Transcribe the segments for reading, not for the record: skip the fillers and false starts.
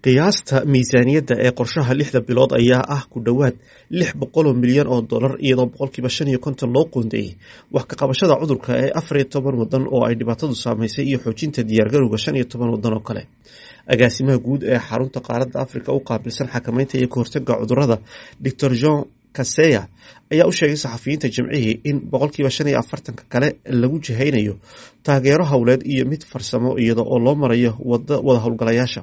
Qiyaasta miisaaniyadda ee qorshaha 6da bilood ayaa ah ku dhowaad $600 milyan, iyadoo 55% loo qoondeeyay wax ka qabashada cudurka ee 14 waddan oo ay dhibaatadu saameysay iyo xoojinta diyaargarowga 15 waddan oo kale. Agaasimaha guud ee xarunta qaaradda Afrika u qaabilsan xakameynta iyo ka hortagga cudurrada, Dr Jean Kaseya, ayaa u sheegay saxafiyiinta Jimcihii in 45% kale lagu jihaynayo taageero howleed iyo mid farsamo iyada oo loo marayo wada howlgalayaasha.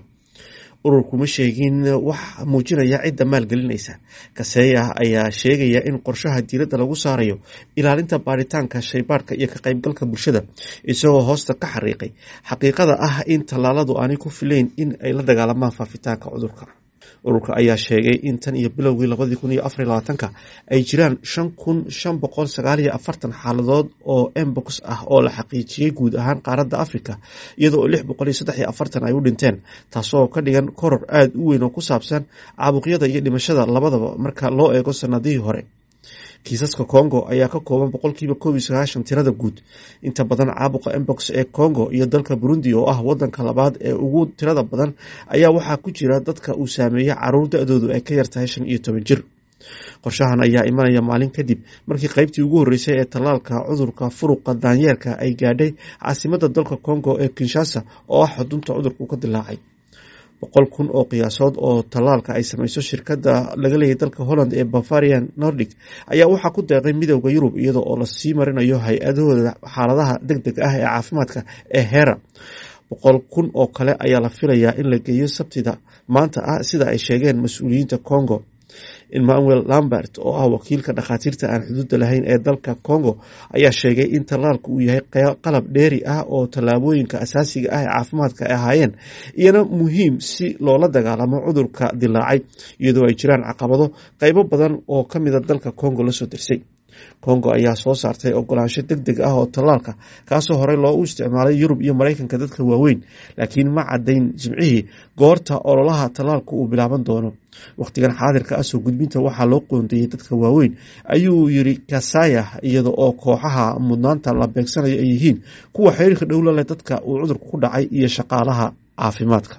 Ururku ma sheegin wax muujinaya cidda maalgelinaysa. Kaseya ayaa sheegaya in qorshaha diiradda lagu saarayo ilaalinta baaritaanka shaybaadhka iyo ka qaybgalka bulshada, isagoo hoosta ka xariiqay xaqiiqada ah in tallaaladu aanay ku filayn in ay la dagaalamaan faafitaanka cudurka. Ururka ayaa sheegay in tan iyo bilowgii 2024-ka ay jiraan 5549 xaaladood oo mpox ah oo la xaqiijiyay guud ahaan qaaradda Afrika, iyada oo 643 ay u dhinteen, taasoo ka dhigan koror aad u weyn oo ku saabsan caabuqyada iyo dhimashada labadaba marka loo eego sanadihii hore. Kiisaska Congo ayaa ka kooban 91% tirada guud. Inta badan caabuqa mpox ee Congo iyo dalka Burundi, oo ah wadanka labaad ee ugu tirada badan, ayaa waxaa ku jira dadka uu saameeyay caruur da'doodu ay ka yar tahay 15 jir. Qorshahan ayaa imanaya maalin kadib markii qaybtii ugu horreysay ee tallaalka cudurka furuqa daanyeerka ay gaadhay caasimadda dalka Congo ee Kinshasa, oo ah xudunta cudurku ka dilaacay. 100,000 oo qiyaasood oo tallaalka ay sameyso shirkadda laga leeyahay dalka Holland ee Bavarian Nordic ayaa waxaa ku deeqay Midowda Yurub, iyada oo lasii marinayo hay'adahooda xaaladaha degdega ah ee caafimaadka ee HERA. 100,000 oo kale ayaa la filayaa in la geeyo Sabtida maanta ah, sida ay sheegeen mas'uuliyiinta Congo. Emmanuel Lambert, oo ah wakiilka dhakhaatiirta aan xuduudda lahayn ee dalka Congo, ayaa sheegay in tallaalku uu yahay qalab dheeri ah oo tallaabooyinka asaasiga ah ee caafimaadka ay ahaayeen iyana muhiim si loola dagaalamo cudurka dilaacay, iyadoo ay jiraan caqabado qaybo badan oo ka mida dalka Congo lasoo dersay. Congo ayaa soo saartay ogolaansho degdeg ah oo tallaalka, kaasoo horey loogu isticmaalay Yurub iyo Maraykanka dadka waaweyn, laakiin ma caddayn Jimcihii goorta ololaha tallaalku uu bilaaban doono. Wakhtigan xaadirka ah, soo gudbinta waxaa loo qoondeeyey dadka waaweyn, ayuu yiri Kasaya, iyada oo kooxaha mudnaanta la beegsanayo ay yihiin kuwa xiriirka dhow la leh dadka uu cudurku ku dhacay iyo shaqaalaha caafimaadka.